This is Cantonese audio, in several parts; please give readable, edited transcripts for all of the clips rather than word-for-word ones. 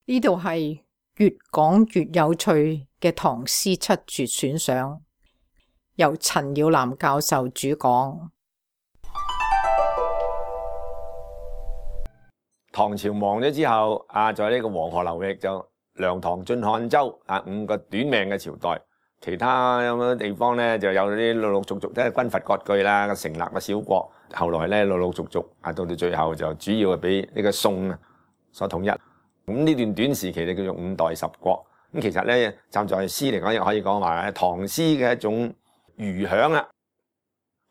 呢度係越講越有趣嘅唐詩七絕選賞，由陳耀南教授主講。唐朝亡咗之後，在呢個黃河流域就梁唐晉漢周5個短命嘅朝代，其他有啲地方咧就有啲陸陸續續即係軍閥割據啦，成立嘅小國。後來咧陸陸續續到到最後就主要係俾呢個宋所統一。咁呢段短時期就叫做五代十國。咁其實咧站在詩嚟講，又可以講話係唐詩嘅一種餘響啦。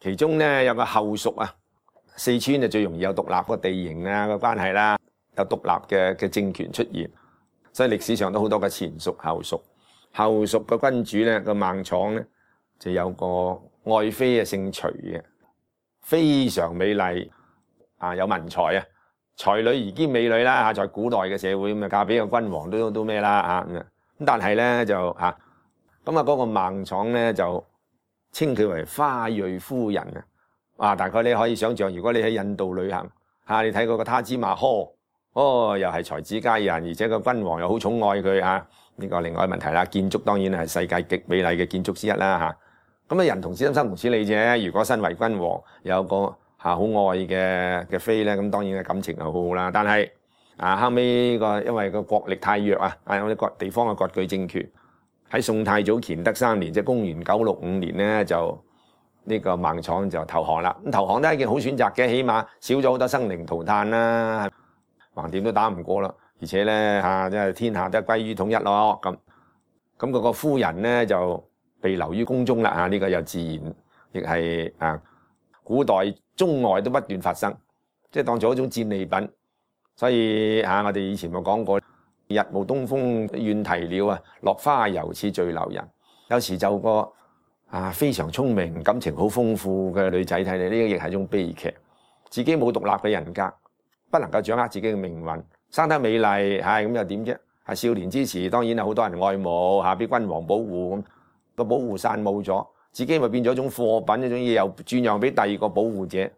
其中咧有個後蜀啊。四川就最容易有獨立個地形個關係啦，有獨立嘅政權出現，所以歷史上都好多個前蜀後蜀。後蜀個君主咧個孟昶咧就有個愛妃姓徐嘅，非常美麗有文才啊，才女而兼美女啦在古代嘅社會咁嫁俾個君王都咩啦咁但係咧就嗰個孟昶咧就稱佢為花蕊夫人大概你可以想象，如果你喺印度旅行你睇嗰個他茲馬呵，又係才子佳人，而且個君王又好寵愛佢呢個另外一個問題啦。建築當然係世界極美麗嘅建築之一啦咁人同此心，生同此理啫。如果身為君王有個好愛嘅妃咧，咁當然嘅感情係好好啦。但係後尾因為個國力太弱有啲各地方嘅割據政權喺宋太祖乾德3年，即係公元965年咧就。呢個孟昶就投降啦，咁投降都係一件好選擇嘅，起碼少咗好多生靈塗炭啦，橫掂都打唔過啦，而且咧即係天下都歸於統一咯，咁嗰個夫人咧就被留於宮中啦，呢個又自然亦係古代中外都不斷發生，即係當做一種戰利品，所以我哋以前冇講過，日暮東風怨啼鳥落花猶似醉留人，有時就個。非常聰明、感情好豐富嘅女仔睇嚟，呢個亦係一種悲劇。自己冇獨立嘅人格，不能夠掌握自己嘅命運，生得美麗，咁又點啫？少年之時當然係好多人愛慕，俾君王保護咁，個保護傘冇咗，自己咪變咗一種貨品，一種嘢又轉讓俾第二個保護者，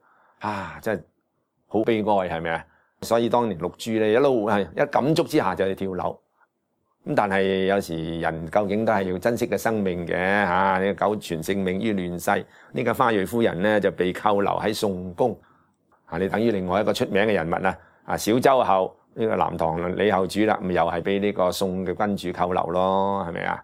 真係好悲哀，係咪啊？所以當年六珠咧一路一感觸之下就去跳樓。咁但係有時人究竟都係要珍惜嘅生命嘅呢個苟全性命於亂世。呢個花蕊夫人咧就被扣留喺宋宮你等於另外一個出名嘅人物小周后呢個南唐李後主啦，咁又係俾呢個宋嘅君主扣留咯，係咪啊？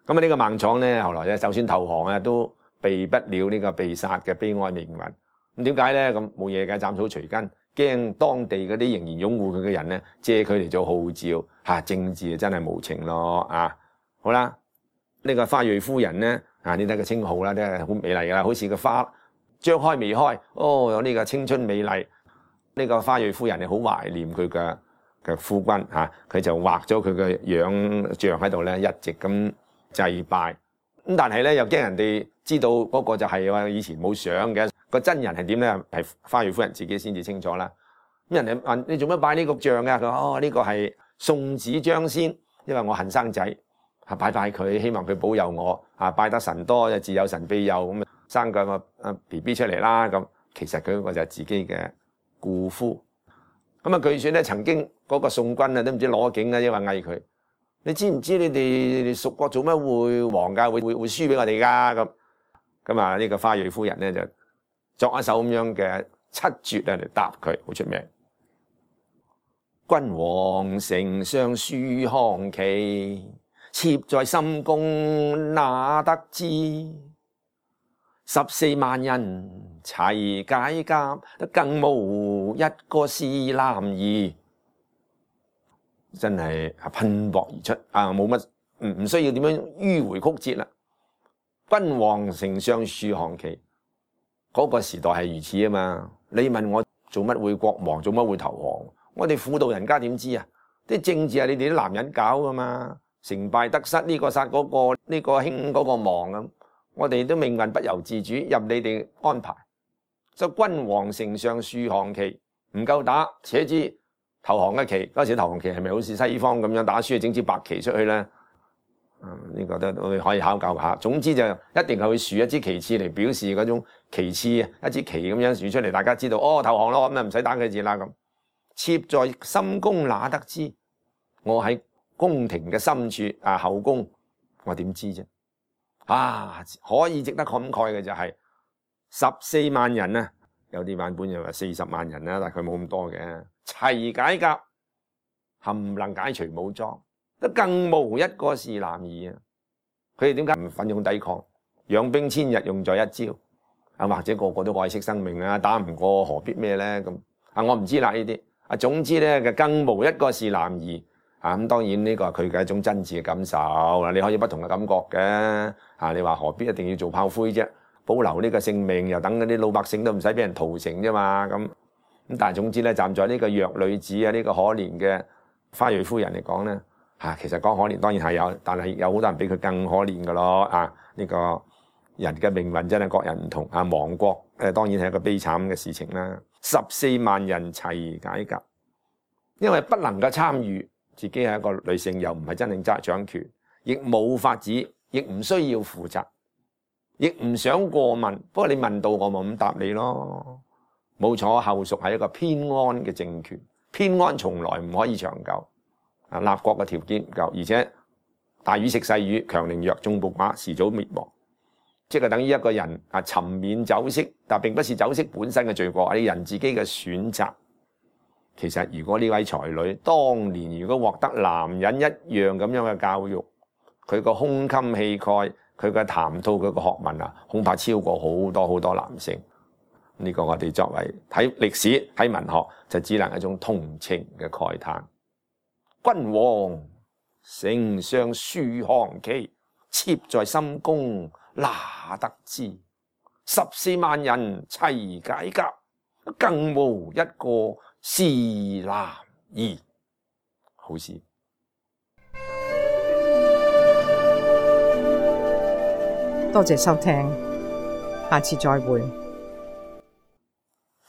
咁呢個孟昶咧後來咧就算投降都避不了呢個被殺嘅悲哀命運。咁點解咧？咁冇嘢嘅，斬草除根。驚當地嗰啲仍然擁護佢嘅人咧，借佢嚟做號召政治真係無情咯好啦，呢個花蕊夫人咧你睇個稱號啦，真係好美麗噶啦，好似個花張開未開有呢個青春美麗。呢個花蕊夫人你好懷念佢嘅夫君佢就畫咗佢嘅樣像喺度咧，一直咁祭拜。咁但係咧又驚人哋知道嗰個就係話以前冇相嘅。個真人係點咧？係花蕊夫人自己先至清楚啦。咁人哋問你做乜拜呢個像㗎？佢話呢個係送子張仙，因為我恨生仔，拜拜佢，希望佢保佑我拜得神多就自有神庇佑，咁生個BB 出嚟啦。咁其實佢嗰個就係自己嘅故夫。咁據說咧曾經嗰個宋軍都唔知攞景因為嗌佢，你知唔知你哋蜀國做乜會皇家會輸俾我哋㗎？咁呢個花蕊夫人咧就作一首咁樣嘅七絕嚟答佢，好出名。君王丞相樹降旗，妾在深宮哪得知？14萬人齊解甲，更無一個是男兒。真係噴薄而出冇乜唔需要點樣迂迴曲折啦。君王丞相樹降旗。嗰個時代係如此啊嘛！你問我做乜會國亡，做乜會投降？我哋婦道人家點知啊？啲政治係你哋啲男人搞噶嘛，成敗得失呢個殺嗰個，呢個興嗰個亡咁，我哋都命運不由自主，任你哋安排。所以君王丞相樹降旗，唔夠打，且知投降嘅旗。嗰時投降旗係咪好似西方咁樣打輸整支白旗出去咧？呢個都可以考究下。總之就一定係會豎一支旗幟嚟表示嗰種旗幟一支旗咁樣豎出嚟，大家知道投降咯，咁唔使打佢字啦咁。妾在深宮哪得知？我喺宮廷嘅深處後宮，我點知啫？可以值得感慨嘅就係14萬人啊，有啲版本又話40萬人啦，但係佢冇咁多嘅，齊解甲，冚能解除武裝，得更無一個是男兒啊！佢哋點解唔奮勇抵抗？養兵千日，用在一朝。或者個個都愛惜生命啦，打唔過何必咩咧？咁我唔知啦呢啲。總之咧，更無一個是男兒。咁當然呢個係佢嘅一種真摯嘅感受。你可以不同嘅感覺嘅。你話何必一定要做炮灰啫？保留呢個性命，又等嗰啲老百姓都唔使俾人屠城啫嘛。咁但係總之咧，站在呢個弱女子呢個可憐嘅花蕊夫人嚟講咧，其實講可憐當然係有，但係有好多人比佢更可憐噶咯。呢個人嘅命運真係各人唔同。亡國當然係一個悲慘嘅事情啦。14萬人齊解甲，因為不能夠參與，自己係一個女性，又唔係真正掌權，亦冇法子，亦唔需要負責，亦唔想過問。不過你問到我，咪咁答你咯。冇錯，後蜀係一個偏安嘅政權，偏安從來唔可以長久。立國嘅條件唔夠，而且大魚食細魚，強凌弱，眾暴寡，遲早滅亡。即係等於一個人沉湎酒色，但並不是酒色本身嘅罪過，係人自己嘅選擇。其實如果呢位才女當年如果獲得男人一樣咁樣嘅教育，佢個胸襟氣概，佢嘅談吐，佢個學問恐怕超過好多好多男性。呢個我哋作為睇歷史睇文學，就只能係一種同情嘅慨嘆。君王丞相書降旗，妾在深宮哪得知？14萬人齊解甲，更無一個是男兒。好詩。多謝收聽，下次再會。